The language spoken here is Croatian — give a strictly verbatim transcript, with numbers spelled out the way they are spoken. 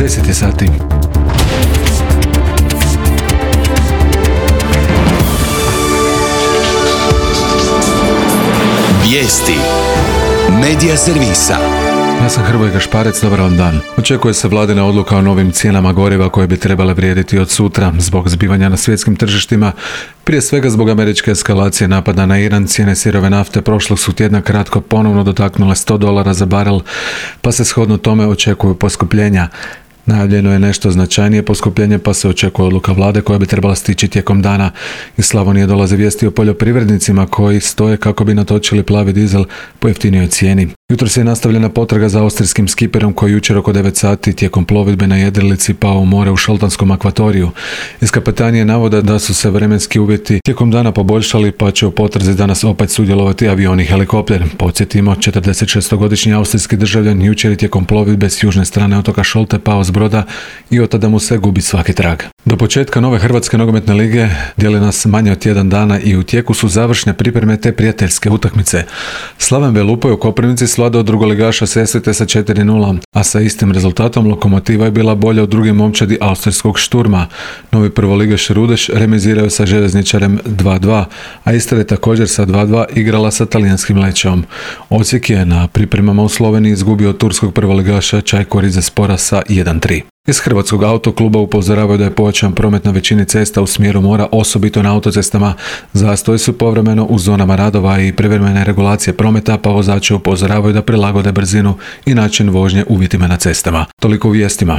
deset je sati. Vijesti Medija servisa. Ja sam Hrvoje Gašparec, dobar vam dan. Očekuje se vladina odluka o novim cijenama goriva koje bi trebale vrijediti od sutra zbog zbivanja na svjetskim tržištima. Prije svega zbog američke eskalacije napada na Iran, cijene sirove nafte prošlog su tjedna kratko ponovno dotaknule sto dolara za barel, pa se shodno tome očekuju poskupljenja. Najavljeno je nešto značajnije poskupljenje, pa se očekuje odluka vlade koja bi trebala stići tijekom dana. Iz Slavonije dolaze vijesti o poljoprivrednicima koji stoje kako bi natočili plavi dizel po jeftinijoj cijeni. Jutros je nastavljena potraga za austrijskim skiperom koji jučer oko devet sati tijekom plovidbe na jedrilici pao u more u Šoltanskom akvatoriju. Iz kapetanije navode da su se vremenski uvjeti tijekom dana poboljšali, pa će u potrazi danas opet sudjelovati avion i helikopter. Podsjetimo, četrdesetšestogodišnji austrijski državljan jučer je tijekom plovidbe s južne strane otoka Šolte pao s broda i od tada mu se gubi svaki trag. Do početka nove Hrvatske nogometne lige dijeli nas manje od tjedan dana i u tijeku su završne pripreme te prijateljske utakmice. Slaven Belupo je u Koprivnici svladao drugoligaša Sesvete sa četiri nula, a sa istim rezultatom Lokomotiva je bila bolja od druge momčadi austrijskog Šturma. Novi prvoligaš Rudeš remizirao je sa Željezničarem dva dva, a Istra je također sa dva dva igrala sa talijanskim Lecceom. Osijek je na pripremama u Sloveniji izgubio od turskog prvoligaša Čajko Rizespora sa jedan tri. Iz Hrvatskog autokluba upozoravaju da je povećan promet na većini cesta u smjeru mora, osobito na autocestama. Zastoji su povremeno u zonama radova i privremene regulacije prometa, pa vozači upozoravaju da prilagode brzinu i način vožnje uvjetima na cestama. Toliko u vijestima.